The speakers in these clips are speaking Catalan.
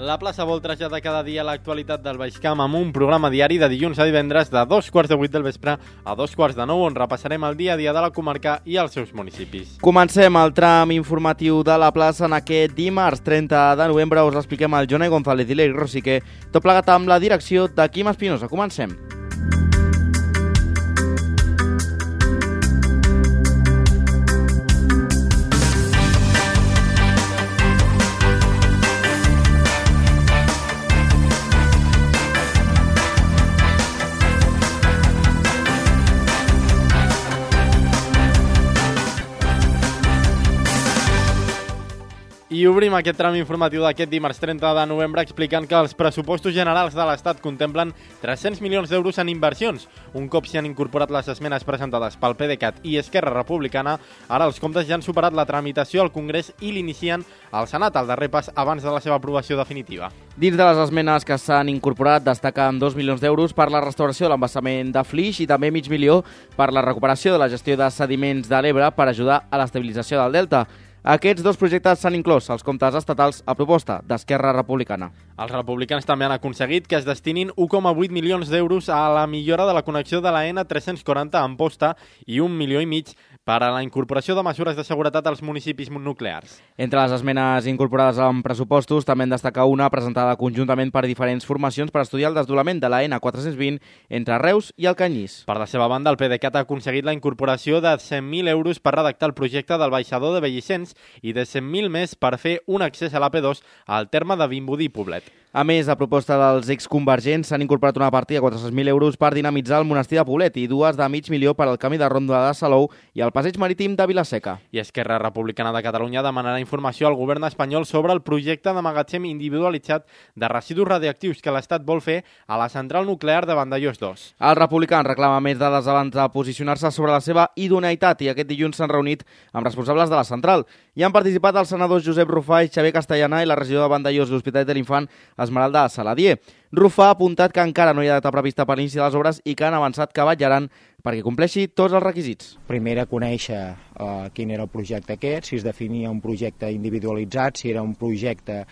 La plaça vol traslladar cada dia l'actualitat del Baix Camp amb un programa diari de dilluns a divendres de 7:15 del vespre a 9:15 on repassarem el dia a dia de la comarca i els seus municipis. Comencem el tram informatiu de la plaça en aquest dimarts 30 de novembre. Us l'expliquem al Jonai González i l'Eric Rosique, tot plegat amb la direcció de Quim Espinosa. Comencem. I obrim aquest tram informatiu d'aquest dimarts 30 de novembre explicant que els pressupostos generals de l'Estat contemplen 300 milions d'euros en inversions. Un cop s'hi han incorporat les esmenes presentades pel PDeCAT i Esquerra Republicana, ara els comptes ja han superat la tramitació al Congrés i l'inicien al Senat, al darrer pas abans de la seva aprovació definitiva. Dins de les esmenes que s'han incorporat destaquen 2 milions d'euros per la restauració de l'embassament de Flix i també mig milió per la recuperació de la gestió de sediments de l'Ebre per ajudar a l'estabilització del delta. Aquests dos projectes s'han inclòs als comptes estatals a proposta d'Esquerra Republicana. Els republicans també han aconseguit que es destinin 1,8 milions d'euros a la millora de la connexió de la N340 a Amposta i 1,5 milions per a la incorporació de mesures de seguretat als municipis nuclears. Entre les esmenes incorporades en pressupostos també en destaca una presentada conjuntament per diferents formacions per estudiar el desdoblament de la N420 entre Reus i el Canyís. Per la seva banda, el PDeCAT ha aconseguit la incorporació de 100.000 euros per redactar el projecte del baixador de Bellicens i de 100.000 més per fer un accés a l'AP2 al terme de Vimbodí i Poblet. A més, a proposta dels exconvergents s'han incorporat una partida de 400.000 euros per dinamitzar el monestir de Poblet i dues de mig milió per al camí de ronda de Salou i el passeig marítim de Vilaseca. I Esquerra Republicana de Catalunya demanarà informació al govern espanyol sobre el projecte de magatzem individualitzat de residus radioactius que l'Estat vol fer a la central nuclear de Vandellòs 2. El republicà reclama més dades abans de posicionar-se sobre la seva idoneïtat i aquest dilluns s'han reunit amb responsables de la central. Hi han participat els senadors Josep Rufà i Xavier Castellana i la regidora de Vandellòs i l'Hospitalet de l'Infant Esmeralda Saladier. Rufà ha apuntat que encara no hi ha data prevista per l'inici de les obres i que han avançat que vetllaran perquè compleixi tots els requisits. Primer a conèixer quin era el projecte aquest, si es definia un projecte individualitzat, si era un projecte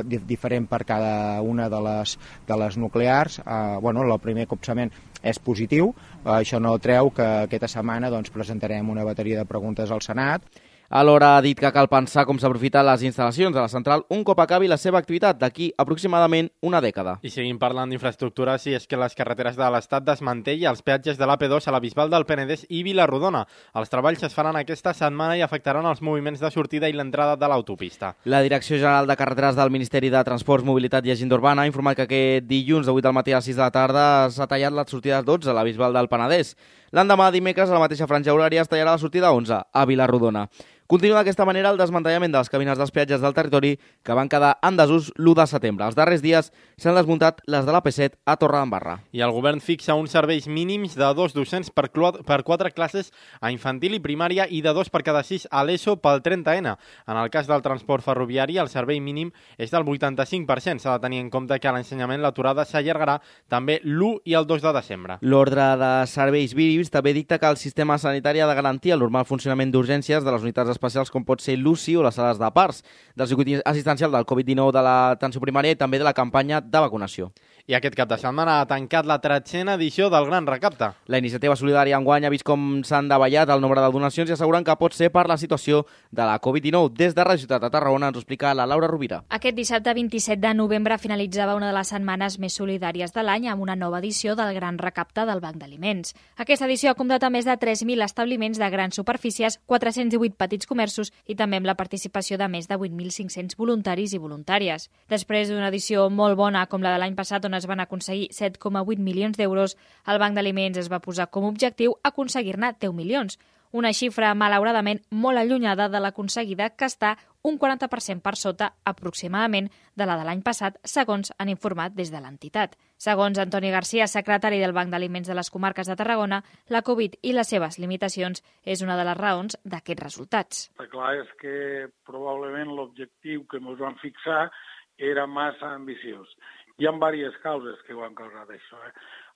diferent per cada una de les nuclears. El primer copsament és positiu, això no treu que aquesta setmana presentarem una bateria de preguntes al Senat. Alhora ha dit que cal pensar com s'aprofiten les instal·lacions de la central un cop acabi la seva activitat d'aquí aproximadament una dècada. I seguim parlant d'infraestructures i és que les carreteres de l'Estat desmantell els peatges de l'AP2 a la Bisbal del Penedès i Vila-rodona. Els treballs es faran aquesta setmana i afectaran els moviments de sortida i l'entrada de l'autopista. La Direcció General de Carreteres del Ministeri de Transports, Mobilitat i Agenda Urbana ha informat que aquest dilluns de 8 del matí a 6 de la tarda s'ha tallat la sortida 12 a la Bisbal del Penedès. L'endemà, dimecres, a la mateixa franja horària es tallarà la sortida 11 a Vila-rodona. Continua d'aquesta manera el desmantellament de les cabines dels peatges del territori que van quedar en desús l'1 de setembre. Els darrers dies s'han desmuntat les de l'AP7 a Torredembarra. I el govern fixa uns serveis mínims de 2 docents per 4 classes a infantil i primària i de 2 per cada 6 a l'ESO pel 30N. En el cas del transport ferroviari, el servei mínim és del 85%. S'ha de tenir en compte que a l'ensenyament l'aturada s'allargarà també l'1 i el 2 de desembre. L'ordre de serveis mínims també dicta que el sistema sanitari ha de garantir el normal funcionament d'urgències de les unitats especials com pot ser l'UCI o les sales de parts, del circuit assistencial del Covid-19 de l'atenció primària i també de la campanya de vacunació. I aquest cap de setmana ha tancat la 13a edició del Gran Recapte. La iniciativa solidària enguany ha vist com s'han davallat el nombre de donacions i asseguren que pot ser per la situació de la Covid-19. Des de Radio Ciutat de Tarragona ens ho explica la Laura Rovira. Aquest dissabte 27 de novembre finalitzava una de les setmanes més solidàries de l'any amb una nova edició del Gran Recapte del Banc d'Aliments. Aquesta edició ha comptat a més de 3.000 establiments de grans superfícies, 418 petits comerços i també amb la participació de més de 8.500 voluntaris i voluntàries. Després d'una edició molt bona com la de l'any passat on es van aconseguir 7,8 milions d'euros, el Banc d'Aliments es va posar com a objectiu aconseguir-ne 10 milions. Una xifra, malauradament, molt allunyada de l'aconseguida, que està un 40% per sota, aproximadament, de la de l'any passat, segons han informat des de l'entitat. Segons Antoni Garcia, secretari del Banc d'Aliments de les Comarques de Tarragona, la Covid i les seves limitacions és una de les raons d'aquests resultats. El clar és que probablement l'objectiu que ens vam fixar era massa ambiciós. Hi ha diverses causes que ho han causat això.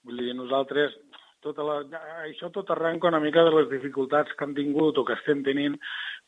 Vull dir, nosaltres, això tot arrenca una mica de les dificultats que han tingut o que estem tenint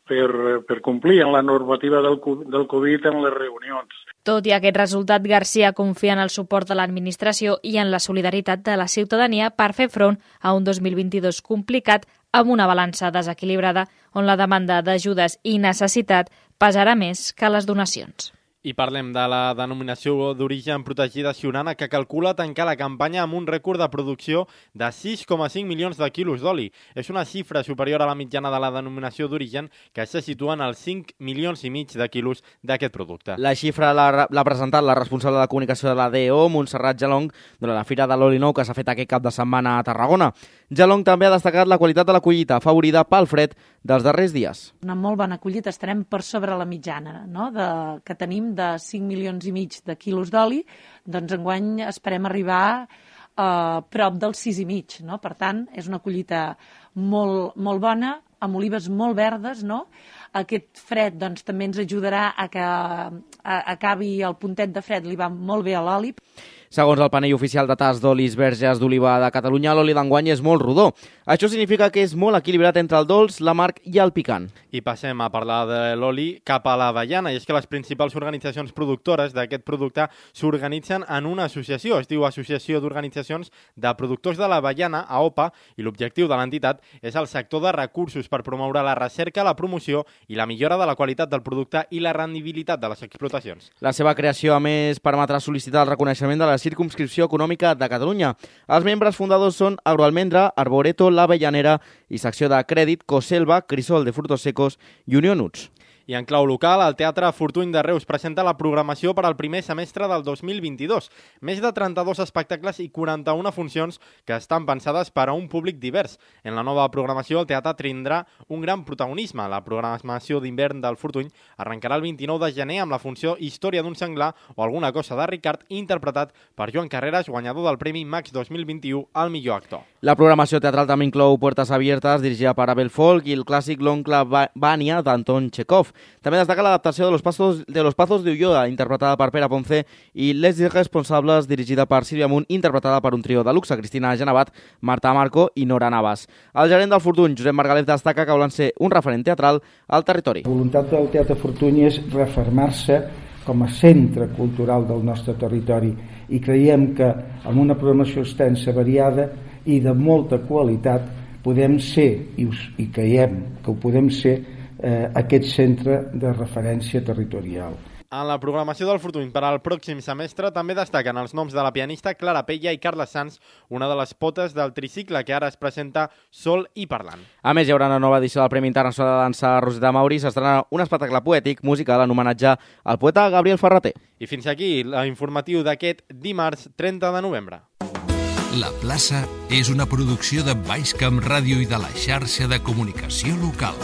per complir amb la normativa del Covid en les reunions. Tot i aquest resultat, Garcia confia en el suport de l'administració i en la solidaritat de la ciutadania per fer front a un 2022 complicat amb una balança desequilibrada on la demanda d'ajudes i necessitat pesarà més que les donacions. I parlem de la denominació d'origen protegida Siurana, que calcula tancar la campanya amb un rècord de producció de 6,5 milions de quilos d'oli. És una xifra superior a la mitjana de la denominació d'origen, que se situa en els 5 milions i mig de quilos d'aquest producte. La xifra l'ha presentat la responsable de comunicació de la DO, Montserrat Jalong, durant la Fira de l'Oli Nou que s'ha fet aquest cap de setmana a Tarragona. Jalong també ha destacat la qualitat de la collita, afavorida pel fred dels darrers dies. Una molt bona collita, estarem per sobre la mitjana, no? Que tenim de 5 milions i mig de quilos d'oli, doncs enguany esperem arribar a prop dels 6,5, no? Per tant, és una collita molt bona, amb olives molt verdes, no? Aquest fred doncs, també ens ajudarà a que acabi el puntet de fred, li va molt bé a l'oli. Segons el panell oficial de tast d'olis verges d'oliva de Catalunya, l'oli d'enguany és molt rodó. Això significa que és molt equilibrat entre el dolç, l'amarg i el picant. I passem a parlar de l'oli cap a l'avellana, i és que les principals organitzacions productores d'aquest producte s'organitzen en una associació, es diu Associació d'Organitzacions de Productors de l'Avellana, AOPA, i l'objectiu de l'entitat és el sector de recursos per promoure la recerca, la promoció i la millora de la qualitat del producte i la rendibilitat de les explotacions. La seva creació, a més, permetrà sol·licitar el reconeixement de la circumscripció econòmica de Catalunya. Els membres fundadors són Agroalmendra, Arboreto, l'Avellanera i secció de crèdit Coselva, Crisol de Frutos Secos i Unió Nuts. I en clau local, el Teatre Fortuny de Reus presenta la programació per al primer semestre del 2022. Més de 32 espectacles i 41 funcions que estan pensades per a un públic divers. En la nova programació, el teatre tindrà un gran protagonisme. La programació d'hivern del Fortuny arrencarà el 29 de gener amb la funció Història d'un senglar o alguna cosa de Ricard, interpretat per Joan Carreras, guanyador del Premi Max 2021 al millor actor. La programació teatral també inclou Puertas Abiertas, dirigida per Abel Folk, i el clàssic L'oncle Vania, d'Anton Chekhov. També destaca l'adaptació de Los Pazos de Ulloa, interpretada per Pere Ponce, i Les Irresponsables, dirigida per Sílvia Munt, interpretada per un trio de luxe, Cristina Genevat, Marta Marco i Nora Navas. El gerent del Fortuny, Josep Margalef, destaca que volen ser un referent teatral al territori. La voluntat del Teatre Fortuny és refermar-se com a centre cultural del nostre territori i creiem que amb una programació extensa, variada i de molta qualitat podem ser, i creiem que ho podem ser, aquest centre de referència territorial. En la programació del Fortuny per al pròxim semestre també destaquen els noms de la pianista Clara Pella i Carles Sanz, una de les potes del tricicle que ara es presenta Sol i Parlant. A més, hi haurà una nova edició del Premi Internacional de Dansa Rosita Mauri, s'estrena un espectacle poètic musical en homenatge al poeta Gabriel Ferrater. I fins aquí l'informatiu d'aquest dimarts 30 de novembre. La plaça és una producció de Baix Camp Ràdio i de la xarxa de comunicació local.